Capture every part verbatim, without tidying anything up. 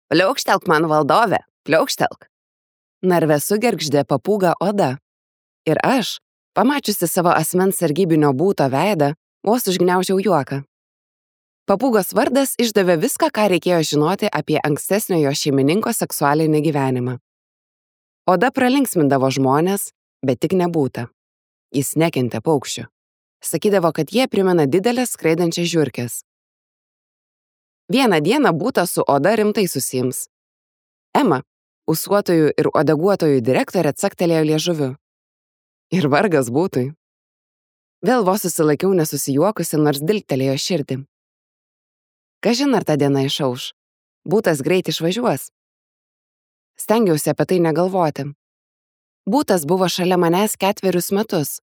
Pliaukštelk man valdove, pliaukštelk. Narve sugergždė papūga Oda. Ir aš, pamačiusi savo asmens sargybinio būto veidą, vos užgniaužiau juoką. Papūgos vardas išdavė viską, ką reikėjo žinoti apie ankstesnio jo šeimininko seksualinį gyvenimą. Oda pralinksmindavo žmonės, bet tik nebūta. Jis nekentė paukščių. Sakydavo, kad jie primena didelės skraidančias žiurkės. Vieną dieną būta su Oda rimtai susiims. Ema, ūsuotojų ir odeguotojų direktorė, caktelėjo liežuviu. Ir vargas būtui. Vėl vos susilaikiau nesusijuokusi, nors dilgtelėjo širdį. Kažin ar ta diena išauš. Būtas greit išvažiuos. Stengiausi apie tai negalvoti. Būtas buvo šalia manęs ketverius metus,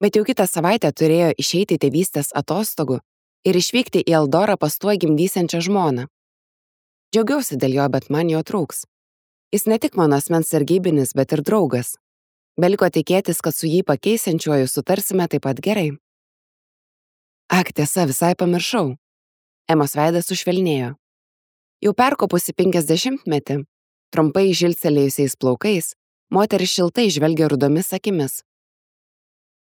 bet jau kitą savaitę turėjo išeiti tėvystės atostogų ir išvykti į Eldorą pas tuo gimdysiančią žmoną. Džiaugiausi dėl jo, bet man jo trūks. Jis ne tik mano asmens sargybinis, bet ir draugas. Beliko tikėtis, kad su jį pakeisiančiuoju sutarsime taip pat gerai. Ak, tiesa, visai pamiršau. Emos veidas sušvelnėjo. Jau perkopusi penkiasdešimtmetį, trumpai žilcelėjusiais plaukais, moteris šiltai žvelgia rudomis akimis.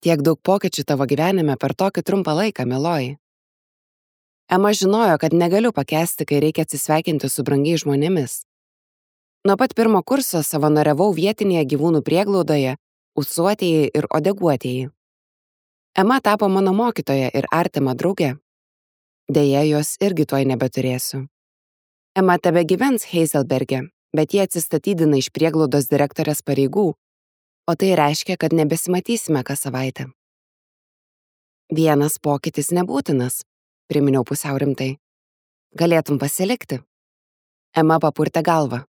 Tiek daug pokyčių tavo gyvenime per tokį trumpą laiką, mieloji. Ema žinojo, kad negaliu pakęsti, kai reikia atsisveikinti su brangiais žmonėmis. Nuo pat pirmo kurso savanoriavau vietinėje gyvūnų prieglaudoje, ūsuotieji ir odeguotieji. Ema tapo mano mokytoja ir artima draugė. Deja, jos irgi tuoj nebeturėsiu. Ema tebe gyvens Heizelberge, bet jie atsistatydina iš prieglaudos direktorės pareigų, o tai reiškia, kad nebesimatysime kas savaitę. Vienas pokytis nebūtinas, priminiau pusiau rimtai. Galėtum pasilikti. Ema papurtė galvą.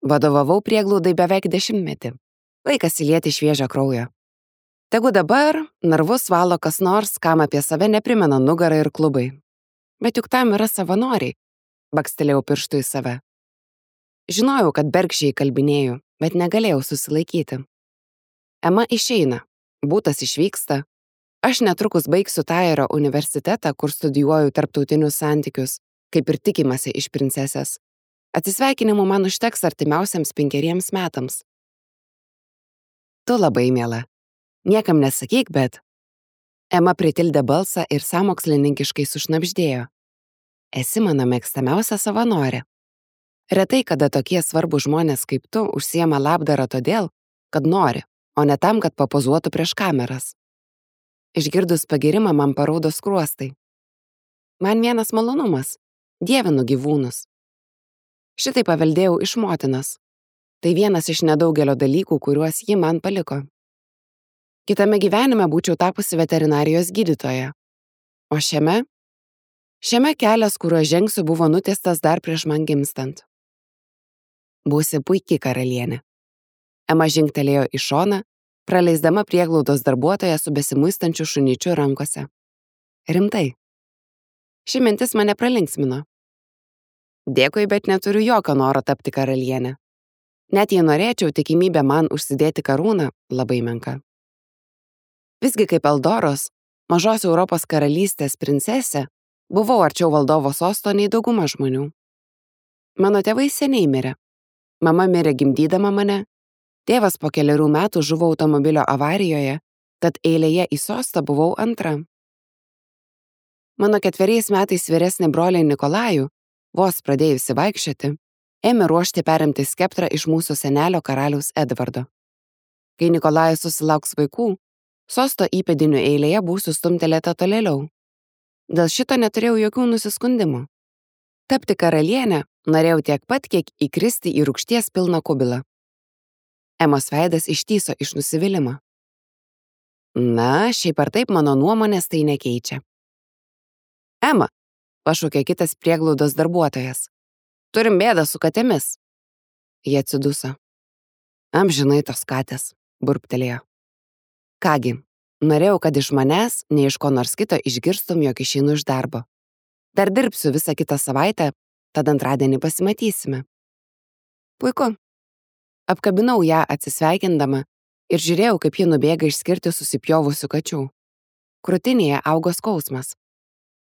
Vadovavau prieglaudai beveik dešimtmetį. Laikas įlieti šviežią kraują. Tegu dabar narvus valo kas nors, kam apie save neprimena nugarą ir klubai. Bet juk tam yra savanoriai, bakstelėjau pirštu į save. Žinojau, kad bergždžiai kalbinėjau, bet negalėjau susilaikyti. Ema išeina, būtas išvyksta. Aš netrukus baigsiu Taiero universitetą, kur studijuoju tarptautinius santykius, kaip ir tikimasi iš princesės. Atsisveikinimų man užteks artimiausiams penkeriems metams. Tu labai miela. Niekam nesakyk, bet... Ema pritildė balsą ir sąmokslininkiškai sušnabždėjo. Esi mano mėgstamiausia savanorė. Retai kada tokie svarbūs žmonės kaip tu užsiema labdarą todėl, kad nori, o ne tam, kad papozuotų prieš kameras. Išgirdus pagirimą man paraudo skruostai. Man vienas malonumas. Dievinu gyvūnus. Šitai paveldėjau iš motinos. Tai vienas iš nedaugelio dalykų, kuriuos ji man paliko. Kitame gyvenime būčiau tapusi veterinarijos gydytoja. O šiame? Šiame kelias, kuriuo žengsiu, buvo nutiestas dar prieš man gimstant. Būsi puiki karalienė. Ema žingtelėjo į šoną, praleisdama prieglaudos darbuotoją su besimuistančiu šunyčiu rankose. Rimtai. Ši mintis mane pralinksmino. Dėkui, bet neturiu jokio noro tapti karalienė. Net jei norėčiau, tikimybė man užsidėti karūną labai menka. Visgi kaip Eldoros, mažos Europos karalystės princesė, buvau arčiau valdovo sosto nei dauguma žmonių. Mano tėvai seniai mirė. Mama mirė gimdydama mane, tėvas po keliarių metų žuvo automobilio avarijoje, tad eilėje į sostą buvau antra. Mano ketveriais metais vyresnį brolį Nikolajų, vos pradėjusi vaikščioti, ėmė ruošti perimti skeptrą iš mūsų senelio karaliaus Edvardo. Kai Nikolajus susilauks vaikų, sosto įpėdinių eilėje būsiu stumtelėta tolėliau. Dėl šito neturėjau jokių nusiskundimų. Tapti karalienę norėjau tiek pat, kiek įkristi į rūgšties pilną kubilą. Emos veidas ištyso iš nusivylimo. Na, šiaip ar taip mano nuomonės tai nekeičia. Ema, pašaukė kitas prieglaudos darbuotojas. Turim bėdą su katėmis. Jie atsiduso. Amžinai tos katės, burptelėjo. Kągi, norėjau, kad iš manęs, ne iš ko nors kito išgirstum, jog išeinu iš darbo. Dar dirbsiu visą kitą savaitę, tad antradienį pasimatysime. Puiku. Apkabinau ją atsisveikindama ir žiūrėjau, kaip ji nubėga išskirti susipjovusių kačių. Krūtinėje augo skausmas.